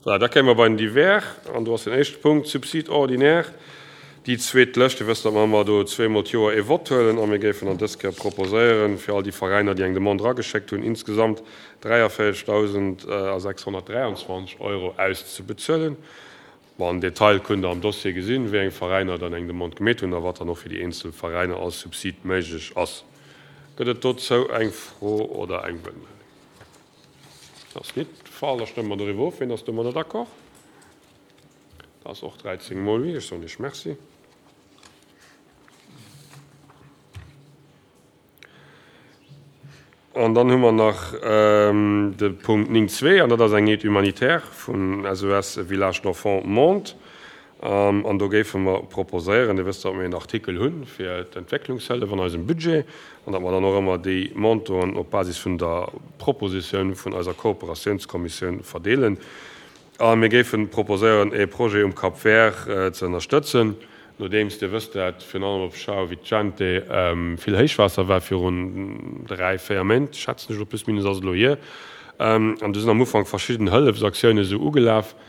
Voilà, da kéime mer bei den Divers. An do ass den éischte Punkt, Subside ordinaire. Déi zweet Lëscht, Dir wësst, datt mer ëmmer do zweemol d'Joer ee Vott huelen a mir géifen dann dës Kéier proposéieren, fir all déi Veräiner, déi eng Demande erageschéckt hunn, insgesamt 43.623 Euro auszebezuelen. Bon, am Detail kënnt Der am Dossier gesinn, wéi eng Veräiner dann eng Demande gemeet hunn a wat dann och fir déi eenzel Veräiner als Subsid méiglech ass. Gëtt et dozou eng Fro oder eng Wuertmeldung? Dat ass nit de Fall. Da stëmme mer doriwwer of. Wien ass domadder d'accord? Dat ass och 13 mol oui. Ech soen Iech Merci. An dann hu mer nach de Punkt 9 zwee, an dat ass eng Aide humanitaire vun SOS Village d'Enfants Monde. An do géife mer proposéieren, Dir wësst, datt mir en Artikel hu fir d'Entwécklungshëllef an eisem Budget, an datt mer dann och ëmmer déi Montanten op Basis vun der Propositioun vun eiser Kooperatiounskommissioun verdeelen. A mir géife proposéieren, e Projet um Cap Vert ze ënnerstëtzen, nodeems, Dir wësst dat, virun allem op São Vicente vill Héichwaasser war virun dräi, véier Méint, schätzen ech elo, plus minus ass et elo hier. An do sinn am Ufank verschidden Hëllefsaktiounen esou ugelaf. Et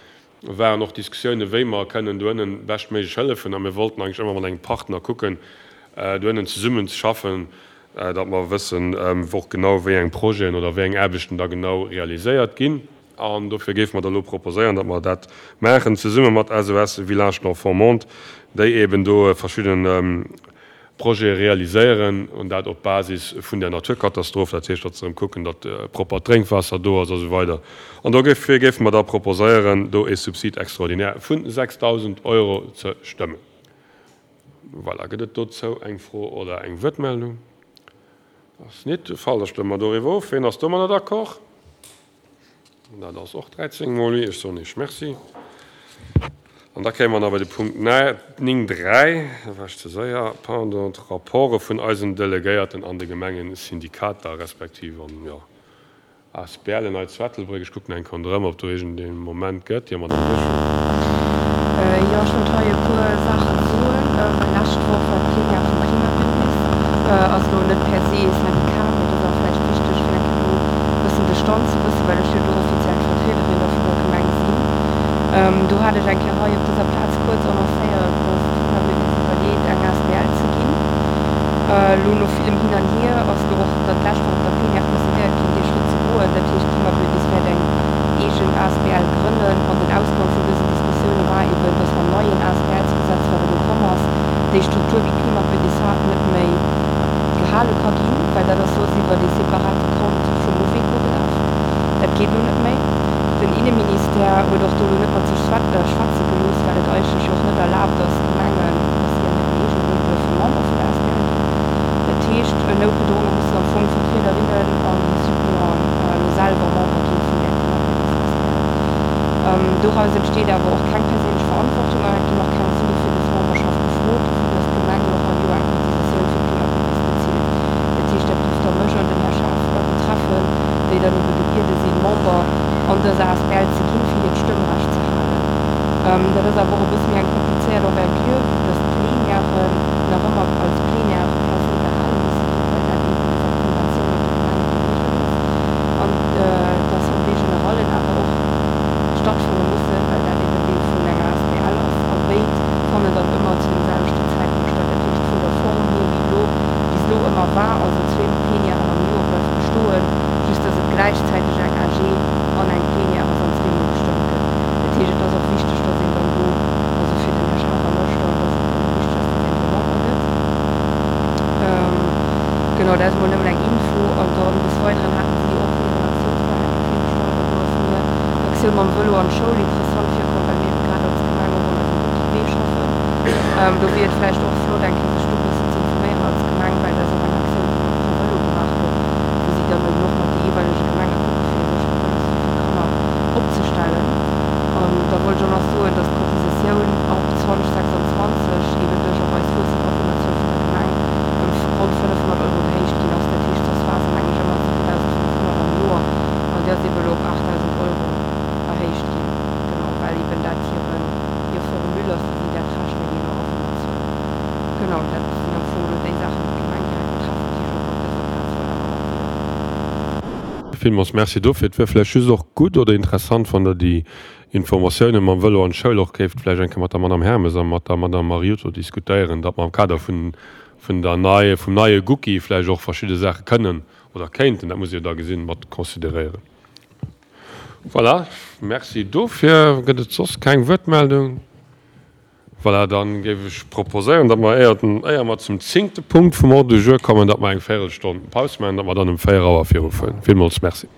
waren och Diskussiounen, wéi mer kënnen do ënnen beschtméiglech hëllefen. A mir wollten eigentlech ëmmer mat engem Partner kucken, do ënnen zesummen ze schaffen, datt mer wëssen, och genau wéi eng Projeten oder wéi eng Aarbechten da genau realiséiert ginn. An dofir géife mer da elo proposéieren, datt mer dat maachen zesumme mat SOS Village d'Enfants Monde, déi eeben do verschidden Projete realiséieren, an dat op Basis vun där Naturkatastroph, dat heescht, datt se erëm kucken, datt proppert Drénkwaasser do ass a sou weider. An dofir géife mer da proposéieren, do ee Subside extraordinaire vu 6.000 Euro ze stëmmen. Voilà, gëtt et dozou eng Fro oder eng Wuertmeldung? Ass nit de Fall. Da stëmme mer doriwwer of. Wien ass domadder d'accord? Dat ass och 13 mol oui. Ech soen Iech Merci. An da kéime mer nach bei de Punkt 9, 3, da war ech ze séier, pardon, d'Rapporte vun eisen Delegéierten an de Gemengesyndikater respektiv an, jo, ASBLen hei zu Ettelbréck. Ech kucken eng Kéier ronderëm, ob do iergendee Moment gëtt. Jo, Madame Peschel. Jo, ech wollt hei e puer Saachen soen, well lescht Woch war d'Plenière vum Klimabündnis. Ass elo net per se e Syndicat, mee et ass awer vläicht wichteg, fir eng Kéier do e bëssen de Stand ze wëssen, well ech jo do offiziell d'Vertriederin da vun der Gemeng sinn. Do hat ech eng Kéier hei op dëser Plaz kuerz annoncéiert, dass d'Klimabündnis iwwerleet, eng asbl ze ginn. Elo no villem Hin an Hier ass elo och dat lescht Woch op der Plenière decidéiert ginn, dee Schrëtt ze goen. Dat heescht, d'Klimabündnis wäert eng eegen asbl grënnen. An den Ausgang vun dësen Diskussioune war eben, dass mam neien ASBLsgesetz, wat elo komm ass, déi Struktur, wéi d'Klimabündnis hat, net méi gehale ka ginn, well dat ass soss iwwert ee separate Kont vum Mouveco gelaf. Dat geet elo net méi. Den Inneministère huet och do elo net mat sech schwätze gelooss, well et eigentlech jo och net erlaabt ass, Gemengen, dass si an hirem eegene Numm duerfe Member vun der asbl ginn. Dat heescht, noutgedronge mussen am Fong d'Vertriederinnen an déi Suppléanten elo selwer Member gi vun där Klimabündnis asbl. Doraus entsteet awer och keng perséinlech Verantwortung an et ginn och keng Sue fir dës Memberschaft gefrot, vu dass d'Gemeng jo och all Joer eng Cotisatioun fir d'Klimabündnis bezilt. Dat heescht, dat géif da mech an den Här Schaaf betreffen, déi dann ebe gebiede sinn, Member an dëser asbl ze ginn, fir hiert Stëmmrecht ze halen. Dat ass awer och e bësse méi eng komplizéiert Envergure, vu dass d'Plenièren nach ëmmer als Plenière per se gehale musse ginn, well dat eben iwwer d'Konventioun mat de Gemenge geregelt ass an d'Assemblée générallen awer och stattfanne mussen, well dat eben Deel vun enger asbl ass. A béid fannen dann ëmmer zu deem selwechten Zäitpunkt statt. Dat heescht, vun der Form hier, wéi elo bis elo ëmmer war, also zwee Plenièren am Joer, bleift bestoen, just dass et gläichzäiteg eng AG an eng Plenière ass an zweemol gestëmmt gëtt. Dat heescht, et ass och wichteg, dass een dann do, also fir den Här Schaaf a mech dann, dass et dann och wichteg ass, dass een do Member gëtt. Genau, dat ass emol nëmmen eng Info. An dann des Weideren haten si och hiren Aktiounsplang eng Kéier virgestallt an do ass mir d'Aktioun mam Vëlo an d'Schoul interessant virkomm, well mir ebe grad als Gemeng och un eisem Rookie-Wee schaffen. Do wier et vläicht och flott, eng Kéier sech do e bëssen ze informéieren als Gemeng, well dat ass och eng Aktioun, déi elo pro Vëlo gemaach gëtt, wou si dann eben och mat de jeeweilege Gemenge kucke fir e séchere Vëloswee fir d'Kanner opzestellen. An da wollt ech och nach soen, dass d'Cotisatioun ab 2026 eben duerch och eis wuessend Awunnerzuel vun der Gemeng ëm ronn 500 Euro gehéicht ginn ass. Dat heescht, soss war se, meng ech, ëmmer 7.500 am Joer an déi ass eben elo op 8.000 Euro erhéicht ginn. Genau, well eben dat hiren, hir Formule ass, wéi si dat rechnen, jee no Awunnerzuel. Genau, dat sinn am Fong elo déi Saachen, déi d'Gemeng direkt betreffen, déi ech och op dëser Plaz wollt awer matdeelen. Villmools Merci dofir. Et wier vläicht just och gutt oder interessant, wann Der déi. Informatiounen mam Vëlo an d'Schoul och géift vläicht eng Kéier mat der Madame Hermes a mat der Madame Mariotto diskutéieren, datt mer am Kader vun, vun der nei, vum neie Gucci vläicht och verschidde Saache kënnen oder kéinten, dat muss ee jo da gesinn, mat consideréieren. Voilà, Merci dofir. Gëtt et soss keng Wuertmeldung? Voilà, da géif ech proposéieren, datt mer, éier, éier mer zum zéngte Punkt vum Ordre du jour kommen, datt mer eng Véirelstonn Paus maachen, datt mer dann um 4 Auer virufueren. Villmools Merci.